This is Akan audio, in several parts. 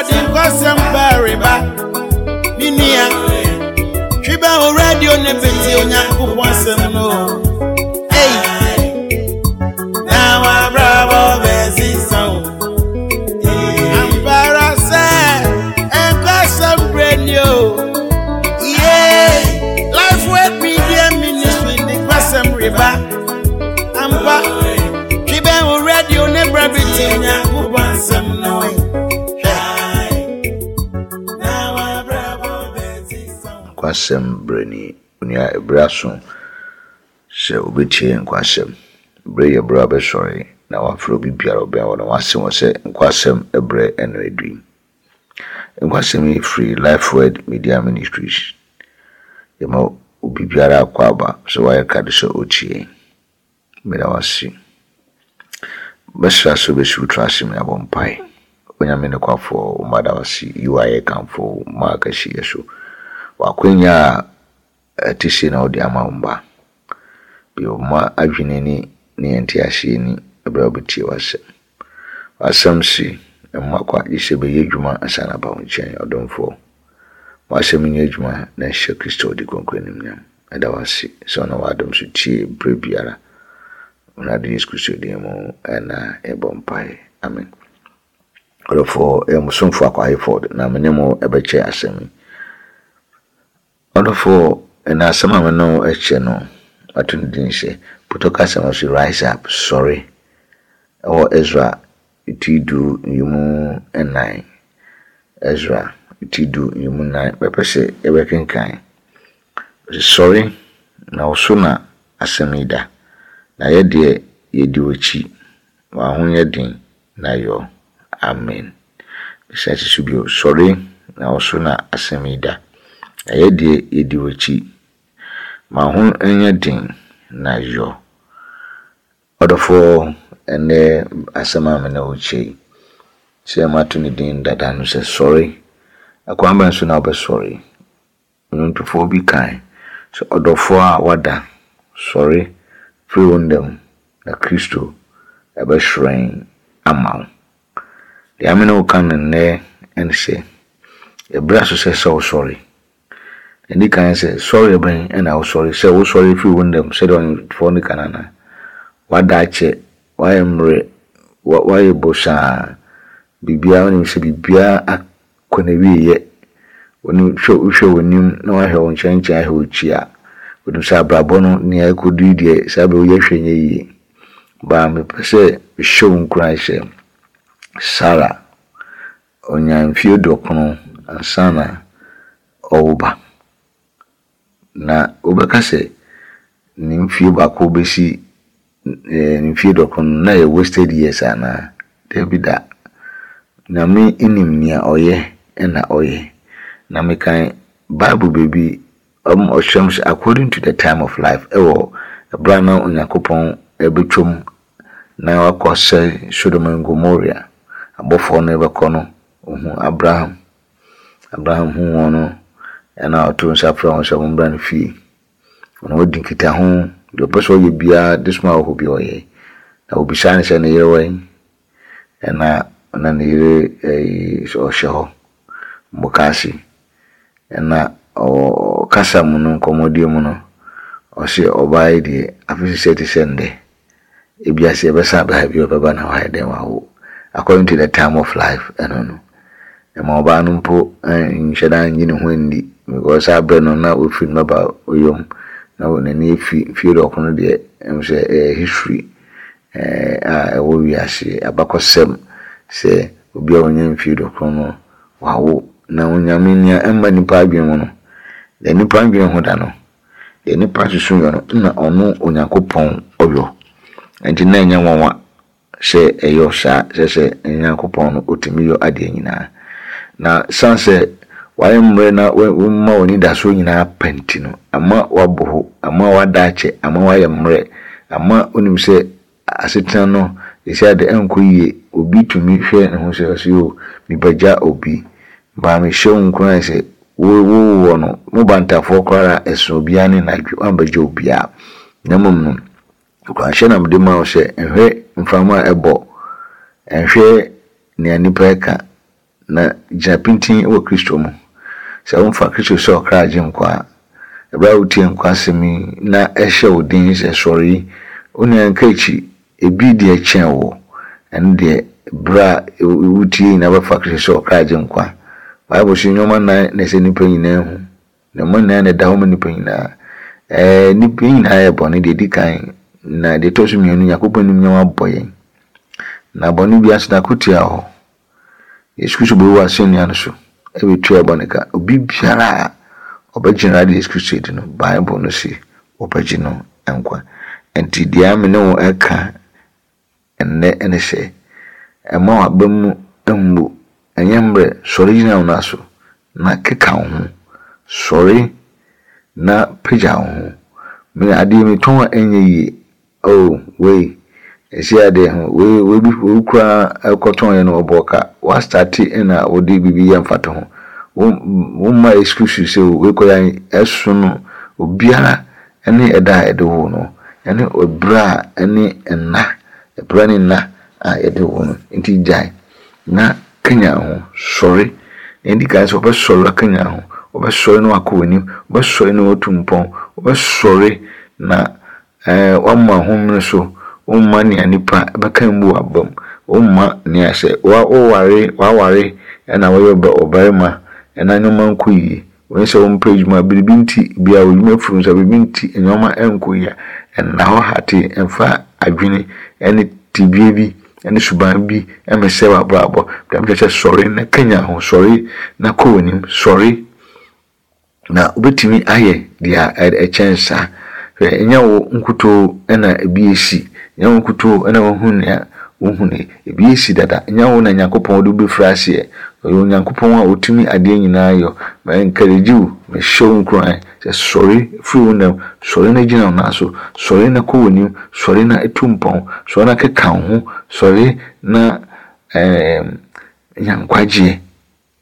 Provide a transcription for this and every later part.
Ɔde nkɔsɛm bɛreba. Me nua, twi bɛn wo radio ne bɛtie Onyankopɔn asɛm no. Ei, na wabrabɔ bɛsesa o. Ampara sɛ nkɔsɛm berɛ ni o. Yeah, Life Word Media Ministry de nkɔsɛm reba. Ampa, twi bɛn wo radio ne berɛ bɛtie Onyankopɔn asɛm no. Hwɛ, na wabrabɔ bɛsesa o. Nkwasɛm berɛ ni, onua ɛberɛ aso sɛ wobɛtie nkwasɛm. Berɛ yɛ berɛ a wobɛsɔre na wafrɛ obi biara a ɔbɛn wo na wase wɔ sɛ nkwasɛm berɛ ɛna adu yi. Nkwasɛm yi firi Life Word Media Ministries. Yɛma obi biara akɔ aba sɛ wayɛ krado sɛ ɔtie. Meda wo ase. Mɛsrɛ sɛ wobɛsi wo tiri ase ma yɛabɔ mpae. Onyame nokwafoɔ, wo mma da wo ase, yi wo ayɛ kamfo wo mma akɛseyɛ so. W'akwanya a ɛte sei na wode ama wo mma. Bue wo mma adwene ani ne yɛn nteaseɛ ani berɛ a wobɛtie w'asɛm. W'asɛm se, mma kwa gye sɛ bɛyɛ adwuma ansa na aba wo nkyɛn, ɔdomfoɔ. W'asɛm nyɛ adwuma na ɛhyɛ Kristo ɔde kronkron animuonyam. Ɛda wo ase sɛ ɔnam w'adom so tie berɛ biara. Awurade Yesu Kristo din mu ɛna yɛbɔ mpae. Amen. Ɔdɔfoɔ, ɛyɛ mo somfo Akwa Hayford na me ne mo ɛbɛkyɛ asɛm yi. Ɔdɔfoɔ, ɛna asɛm a me ne wo ɛkyɛ no, mato ne din sɛ Pɔtɔ kasa mu so Rise Up, Sɔre, ɛwɔ Ezra ti du nyimu nnan. Ezra ti du nyimu nnan. Bɛpɛ sɛ yɛbɛkenkan. Sɔre, na wo so na asɛm yi da. Na yɛ deɛ yɛdi w'akyi. Wɔn ho nyɛ den na yɔ. Amen. Mesan si so bio. Sɔre, na wo so na asɛm yi da. Na yɛ deɛ yɛdi w'akyi. Ma ho nyɛ den na yɔ. Ɔdɔfoɔ, ɛnnɛ asɛm a me ne wo kyɛ yi, sɛ mato ne din dada no sɛ sɔre. Ɛkwan bɛn so na wobɛsɔre? Nnwontofoɔ bi kae sɛ ɔdɔfoɔ a wada, sɔre firi wo nna mu na Kristo ɛbɛhyerɛn ama wo. Deɛ me ne wo ka no nnɛ ɛne sɛ, ɛberɛ aso sɛ sɛ wosɔre. Ɛdi kan sɛ sɔre bɛn ɛna wosɔre, sɛ wosɔre firi wo nna mu sɛdeɛ ɔnwontofoɔ no ka no anaa? Wada akyɛ, wayɛ mmerɛ, wayɛ bosaa, biribiara wonim sɛ biribiara akɔ n'awieeɛ. Wonim hwɛ wohwɛ w'anim na wahwɛ wo nkyɛnkyɛn ahwɛ w'akyi a, wonim sɛ abrabɔ no nea ɛkɔdu yi deɛ saa berɛ woyɛ hwɛ nyɛ yie. Baa mepɛ sɛ mehyɛ wo nkuran sɛ Sarah ɔnyaa mfeɛ 90 ansa na ɔwo ba. Na wobɛka sɛ ne mfeɛ baako bɛsi ne mfeɛ 90 no na ɛyɛ wasted years anaa? Dabi da. Nyame nim nea ɔyɛ ɛna ɔyɛ. Na mekan Bible baabi ɔkyerɛ m sɛ according to the time of life ɛwɔ ɛberɛ a na Onyankopɔn ɛbɛtwam na wakɔ sɛ Sodom and Gomorrah abɔfoɔ no ɛbɛkɔ no, ohun Abraham. Abraham hu wɔn no ɛna ɔto nsa frɛ wɔn sɛ wɔmmra ne fie. Ɔno wadi nkitaho deɛ ɔpɛ sɛ ɔyɛ biara de soma wɔ hɔ bi ɔyɛ. Na obisaa no sɛ ne yere wɔ he? Ɛna na ne yere ɛyi ɔhyɛ hɔ mukaase. Ɛna ɔkasa mu no nkɔmmɔdie mu no, ɔse ɔbaa yi deɛ afe sesɛ te sɛ ndɛ. Ebiase ɛbɛsan aba ha bi ɔbɛba na wayɛ dɛn wawo. According to the time of life ɛno no. Ɛma ɔbaa no mpo nhyɛ da nnye ne ho nni because saa berɛ no na wafiri ne baba yam na n'ani afi mfeɛ 90 deɛ ɛm sɛ ɛyɛ history a ɛwɔ wiase abakɔsɛm sɛ obi a ɔnya mfeɛ 90 no wawo. Na Onyame nea ɛmma nipa adwene mu no, deɛ nipa adwene ho da no, deɛ nipa susu yɛ no, na ɔno Onyankopɔn ɔyɔ. Nti na ɛnyɛ nwanwa sɛ ɛyɔ saa, sɛ Onyankopɔn no ɔtumi yɔ adeɛ nyinaa. Na san sɛ wayɛ mmerɛ na woma w'anidasoɔ nyinaa pa nti no, ama wabɔ ho, ama wada akyɛ, ama wayɛ mmerɛ, ama wonim sɛ asetena no ɛsi ade ɛnkɔ yie. Obi tumi hwɛ ne ho sɛ ɔse o mebɛgya obi. Baa mehyɛ wo nkuran sɛ wo wowɔ no, mo bantafoɔ koraa ɛso obiara ne n'adwe, woambɛgya obiara. Na mmom no, nkuranhyɛ na mede ma wo sɛ nhwɛ mframa a ɛbɔ, nhwɛ nea nnipa ɛka. Na gyina pintinn wɔ Kristo mu. Sɛ womfa Kristo sɛ ɔkra Agyenkwa a, bere a wutie nkwa asɛm yi na ɛhyɛ wo den sɛ sɔre yi, onua nka akyi, ebi deɛ kyɛn wo. Ɛno deɛ, bere a wutie nyinaa wobɛfa Kristo sɛ ɔkra Agyenkwa. Bible se nneɛma nnan na ɛsɛ nnipa nyinaa hu. Nneɛma nnan na ɛda hɔ ma nnipa nyinaa. Ɛɛ, nnipa nyinaa yɛ bɔne deɛ ɛdi kan, na deɛ ɛtɔ so mmienu, Nyankopɔn animuonyam abɔ yɛn. Na bɔne biara nso n'akotua wɔ hɔ. Yesu Kristo bɛwu wɔ asɛnnua no so bɛtua bɔne ka. Obi biara a ɔbɛgye Awurade Yesu Kristo adi no, Bible no se wɔbɛgye no nkwa. Nti deɛ me ne wo ɛka ɛnnɛ ne sɛ, ɛmma w'aba mu mmu, ɛnyɛ mmerɛ, sɔre gyina wo nan so na keka wo ho. Sɔre na pagya wo ho. Me adeɛ metɔn a ɛnyɛ yie, Oh wei ɛsi adeɛ ho wei wei bi wei koraa ɛkɔtɔn yɛ no ɔbɔ ka wa starte ɛna wode biribi yɛ mfatoho wo wo mma excuse sɛ o wei kɔ yɛ ɛso no obiara ɛne ɛda a yɛde wo no ɛne ɛbrɛ a ɛne ɛna ɛbrɛ ne nna a yɛde wo no nti gyae na kanyan ho sɔre na ɛdi kan sɛ wɔbɛsɔre akanyan ho wɔbɛsɔre na wakɔ w'anim wɔbɛsɔre na watu mpɔn wɔbɛsɔre na Ɛɛ, woama homene so, womma nea nnipa bɛka mmu w'abam, womma nea sɛ woware, w'aware na woyɛ ɔbarima na nneɛma nkɔ yie, wone sɛ wompɛ adwuma, biribi nti, bia w'adwuma afiri wo nsa, biribi nti nneɛma nkɔ yie a, nna hɔ hatee, mfa adwene ne tebea bi ne suban bi mmɛsɛe w'abrabɔ. Deɛ mekyerɛ sɛ sɔre na kanyan ho, sɔre na kɔ w'anim, sɔre. Na wobɛtumi ayɛ deɛ ɛkyɛn saa. Hwɛ, ɛnyɛ wo nkutoo na ebi asi, ɛnyɛ wo nkutoo na woahu nea wohunui. Ebi asi dada, ɛnyɛ wo na Nyankopɔn de wo bɛfiri aseɛ. Ɔyɛ Onyankopɔn a ɔtumi adeɛ nyinaa yɔ. Ma encourage wo, mehyɛ wo nkuran sɛ sɔre firi wo nna mu, sɔre na gyina wo nan so, sɔre na kɔ w'anim, sɔre na tu mpɔn, sɔre na keka wo ho, sɔre na ɛɛm nya nkwagyeɛ.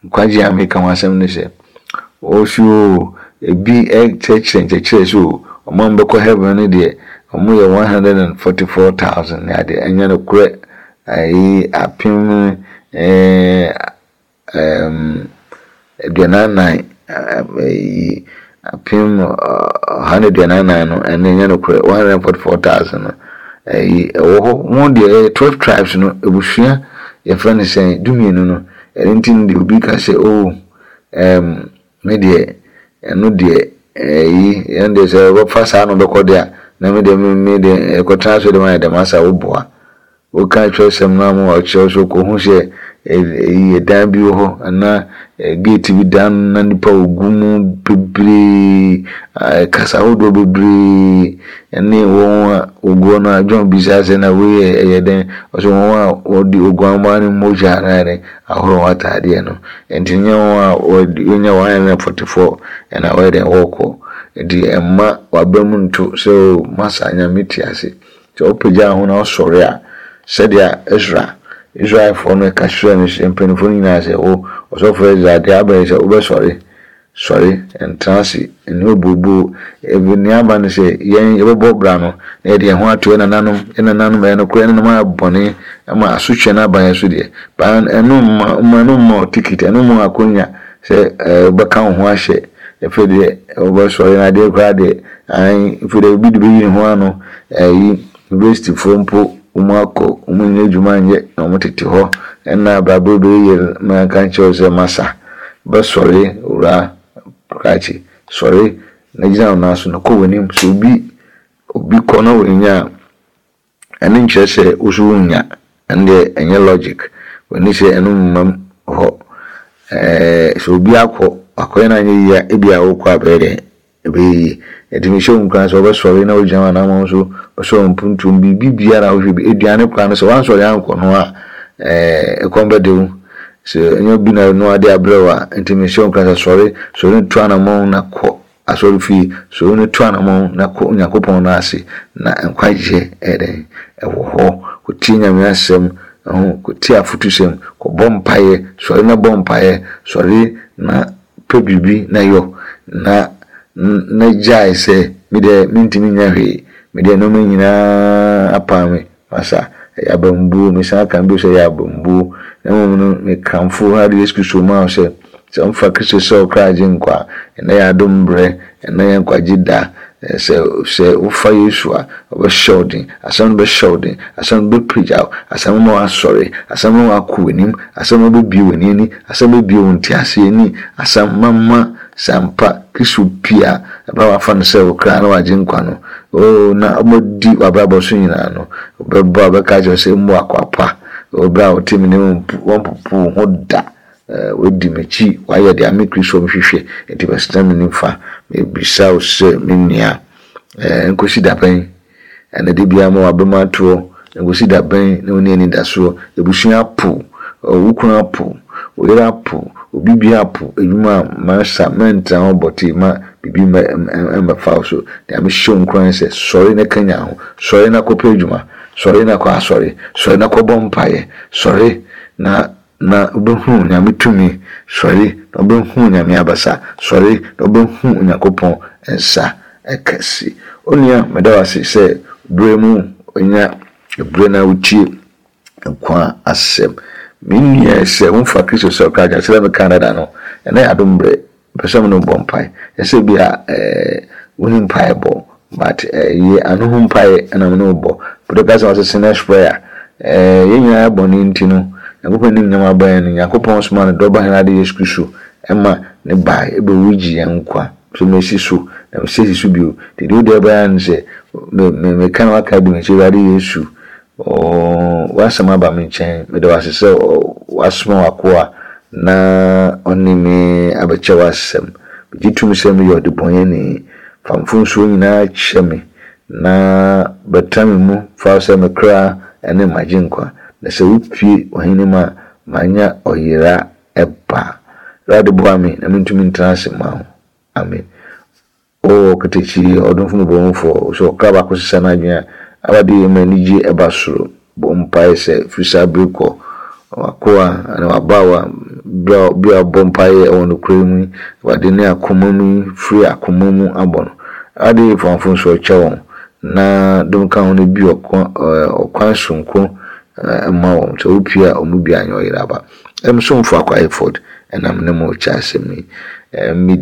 Nkwagye a mereka ho asɛm ne sɛ, wɔse oo, ebi kyerɛkyerɛ nkyerɛkyerɛ sɛ oo, wɔn a wɔbɛkɔ heaven no deɛ, wɔyɛ 144,000 ne adeɛ. Ɛnyɛ nokorɛ. Ayi apem ɛɛ ɛɛm aduanan nan ayi apem 144 no, ɛno ɛnyɛ nokorɛ. 144,000 no, ayi ɛwɔ hɔ. Wɔn deɛ ɛyɛ 12 tribes no, abusua yɛfrɛ no sɛn, dumienu no. Ɛno nti no deɛ obi ka sɛ oh ɛɛm me deɛ ɛno deɛ ɛyi ɛno deɛ sɛ wɔbɛfa saa na wɔbɛkɔ deɛ a na me deɛ me me deɛ ɛkɔtena ase deɛ ayɛ dɛm asa woboa woka twerɛsɛm no ama ɔkyerɛ so kɔhu sɛ ɛyi ɛdan bi wɔ hɔ anaa gate bi dan na nipa ogu mu bebree kasa ahodoɔ bebree Ɛne wɔn a wɔgu hɔ no a, John bisaa sɛ, Na wei yɛ ɛyɛ dɛn? Ɔsɛ wɔn a wɔde oguammaa no mogya no ayɛ dɛn ahoro wɔn ataadeɛ no. Enti nyɛ wɔn a wɔnya 144 ɛna wɔyɛ dɛn wɔkɔ. Enti ɛmma w'aba mu nto sɛ o masa Nyame te ase. Sɛ wopagya wo ho na wosɔre a, sɛdeɛ Esra, Israelfoɔ no ka kyerɛɛ no sɛ mpanimfoɔ no nyinaa sɛ, wo ɔsɔfoɔ Esra, deɛ aba yi sɛ wobɛsɔre Sɔre, ntena ase, nni obooboo. Ebi nea aba ne sɛ, yɛn yɛbɛbɔ bra no, na yɛde yɛn ho ato yɛn nananom, yɛn nananom, ɛyɛ nokorɛ, yɛn nananom ayɛ bɔne ma asotweɛ no aba yɛn so deɛ, but ɛno mma, mma ɛno mma wo ticket, ɛno mma wo akonya sɛ ɛɛ wobɛka wo ho ahyɛ, afei deɛ wobɛsɔre na adeɛ koraa deɛ, ae, afei deɛ obi de bɛyi ne ho ano, ɛyi, universityfoɔ mpo, wɔn akɔ, wɔn nyɛ adwuma nyɛ, na wɔn tete hɔ, ɛna abrabɔ bɛyɛ yie ma yɛnka nkyerɛ wo sɛ masa. Bɛsɔre, Owura Krakye, sɔre na gyina wo nan so na kɔ w'anim. Sɛ obi obi kɔ na wannya a, ɛno nkyerɛ sɛ wo nso wonnya. Ɛno deɛ ɛnyɛ logic. W'ani sɛ ɛno mmam hɔ. Ɛɛ sɛ obi akɔ, wakɔyɛ no anyɛ yie a, ebia wokɔ a bɛyɛ dɛn? Ɛbɛyɛ yie. Enti mehyɛ wo nkuran sɛ wobɛsɔre na woagyina w'anammɔn so, wobɛsɔre mpuntuo mu, biribi biara a wohwɛ bi, aduane koraa no sɛ woansɔre ankɔ no a, ɛɛ, ɛkɔm bɛde wo. Sɛ ɛnyɛ obi na ɛnoa de abrɛ wo a, enti mehyɛ wo nkuran sɛ sɔre, sɔre na tu anammɔn na kɔ asɔrefie, sɔre na tu anammɔn na kɔ Onyankopɔn nan ase, na nkwagyeɛ ɛyɛ dɛn? Ɛwɔ hɔ. Kɔtie Nyame asɛm, ɛho, kɔtie afotusɛm, kɔbɔ mpaeɛ, sɔre na bɔ mpaeɛ, sɔre na Pɛ biribi na yɔ, na na gyae sɛ, Me deɛ, mentumi nyɛ hwee. Me deɛ, nneɛma nyinaa apaa me. Masa, ɛyɛ abambuo. Mesan ka bio sɛ ɛyɛ abambuo. Na mmom no, mekamfo Awurade Yesu Kristo ma wo sɛ, sɛ womfa Kristo sɛ wo kra agyenkwa a, ɛnnɛ yɛ adom berɛ, ɛnnɛ yɛ nkwagye da. Sɛ sɛ wofa Yesu a, ɔbɛhyɛ wo den. Asɛm no bɛhyɛ wo den. Asɛm no bɛpagya wo. Asɛm no bɛma woasɔre. Asɛm no bɛma woakɔ w'anim. Asɛm no bɛbue w'ani ani. Asɛm bɛbue wo nteaseɛ ani. Asɛm mama sɛ ampa Kristo pue a, ɛberɛ a woafa no sɛ wo kra ne w'agyenkwa no, oo, na wɔadi w'abrabɔ so nyinaa no, wobɛbɔ a wobɛka akyerɛ wo sɛ, Mmu akoa pa. Wɔ berɛ a wote me ne wɔmpopo wo ho da. Woadi m'akyi, woayɛ deɛ me Kristo mehwehwɛ, enti bɛsena me nifa. Mebisa wo sɛ, me nua, nkɔsi da bɛn? Ɛna da biara ma w'abam atoɔ, nkɔsi da bɛn na wonni anidasoɔ? Abusua apo wo, wo kunu apo wo, wo yere apo wo, obi biara apo adwuma a masa, mɛntena hɔ bɔtee ma biribi mmɛfa wo so. Deɛ mehyɛ wo nkuran sɛ, sɔre na kanyan ho, sɔre na kɔpɛ adwuma, sɔre na kɔ asɔre, sɔre na kɔbɔ mpaeɛ, sɔre na na wobɛhunu Onyame tumi, sɔre na wobɛhunu Onyame abasa, sɔre na wobɛhunu Onyankopɔn nsa kɛse. Onua, meda wo ase sɛ berɛ mu wonya berɛ na wotie nkwa asɛm. Me nua, sɛ womfa Kristo sɛ ɔkra agyenkwa, sɛdeɛ mekaa dada no, ɛnnɛ yɛ adom berɛ. Mepɛ sɛ me ne wo bɔ mpae. Ɛsɛ bi a eh, wonni mpae bɔ, but eh, yɛ ano ho mpae na me ne wo bɔ. Bere ka sɛ ɔsɛ sinner's prayer. Eh, yɛn nyinaa yɛ bɔne nti no, Nyankopɔn anim nyam aba yɛn no, Nyankopɔn somaa ne dɔba hɛn ade Yesu Kristo ma ne bae ebewui gye yɛn nkwa. So mesi so, na mesesi so bio. Nti deɛ wode ɛbɛyɛ ara ne sɛ, me, me, meka na waka adi m'akyi, Awurade Yesu, Oo, w'asɛm aba me nkyɛn. Meda wo ase sɛ woasoma w'akoa na ɔne me abɛkyɛ w'asɛm. Megye tom sɛ meyɛ ɔdebɔneyɛni. Fa mfomsoɔ nyinaa kyɛ me, na bɛtra me mu. Fa wo sɛ me kra ne m'agyenkwa, na sɛ wopue w'ahenni mu a, manya ɔyera ba. Awurade boa me na mentumi ntena ase mma wo. Amen. O ɔkatakyie, ɔdomfo mmɔborɔhunufoɔ, sɛ ɔkra baako sesa n'adwene a, aba de ma anigye ba soro. Bɔ mpaeɛ sɛ, firi saa bere kɔ, w'akoa anaa w'abaawa, berɛ a obi a ɔbɔ mpaeɛ wɔ nokorɛ mu yi, Awurade ne akoma mu yi, firi akoma mu abɔ no. Awurade fa mfomsoɔ kyɛ wɔn, na dom ka ho na bue ɔkwan sononko ma wɔn, sɛ wopue a wɔn mu biara nyɛ ɔyera aba. Me somfo Akwa Hayford na me ne mo rekyɛ asɛm yi. Me,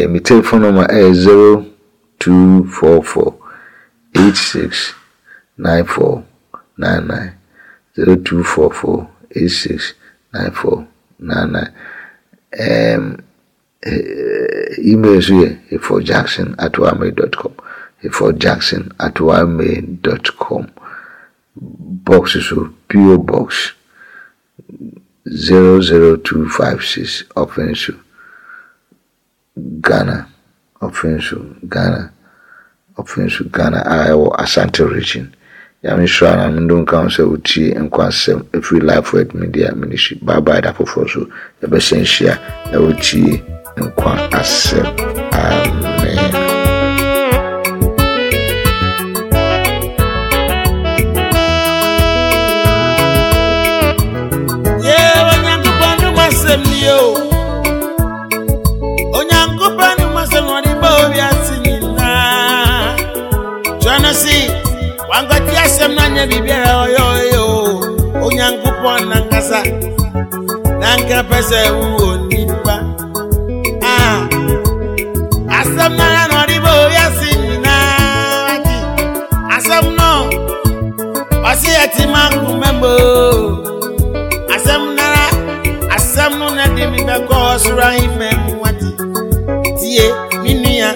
me telephone number ɛyɛ 0244 86 94 99. 0244 86 94 99. Um, email nso yɛ hayfordjackson at ymail.com. hayfordjackson at ymail.com. Box so, PO Box 00256 Ɔfensu, Ghana, Ɔfensu, Ghana, Ɔfensu, Ghana a ɛwɔ Asante Region. Nyame nhyira na mendo nka ho sɛ wotie nkwa asɛm ɛfiri Life Word Media Ministry. Bye bye da foforɔ so yɛbɛhyɛ nhyia na wotie nkwa asɛm. Amen. Wankɔte asɛm no anyɛ biribiara ɔyɛ ɔyɛ o Onyankopɔn nankasa na nka pɛ sɛ wowɔ nipa ah asɛm no ara na ɔde bɔ wiase nyinaa nti asɛm no ɔse ɛte ma nkoma mu asɛm no ara asɛm no na de me bɛkɔ ɔsoro ahemma mu wate tie me nua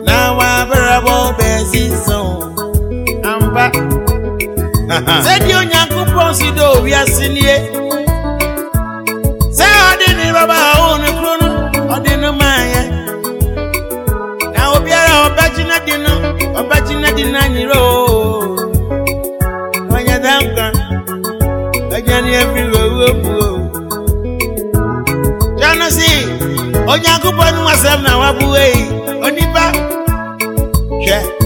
na wabrabɔ bɛsi so ampa sɛdeɛ Onyankopɔn si dɔ wiase nie sɛ ɔde ne baba a ɔwɔ ne kuro no ɔde no maayɛ na obiara a ɔbɛgye no di no ɔbɛgye no di no anyerɛ o ɔnyɛ da nkwa aduane afiri owuo mu o kyɛ no se Onyankopɔn no asɛm na waboa yi onipa hwɛ.